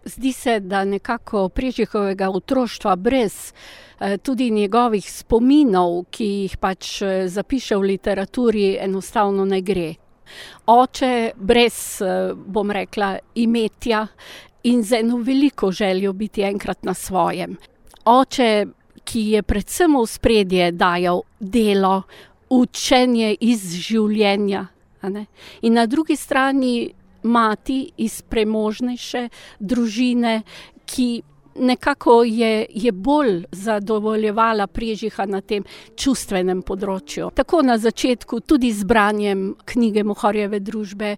Zdi se, da nekako Prežihovega otroštva brez tudi njegovih spominov, ki jih pač zapiše v literaturi, enostavno ne gre. Oče brez, bom rekla, imetja in z eno veliko željo biti enkrat na svojem. Oče, ki je predvsem v ospredje dajal delo, učenje iz življenja, a ne. In na drugi strani mati iz premožnejše družine, ki nekako je bolj zadovoljevala Prežiha na tem čustvenem področju. Tako na začetku tudi z branjem knjige Mohorjeve družbe.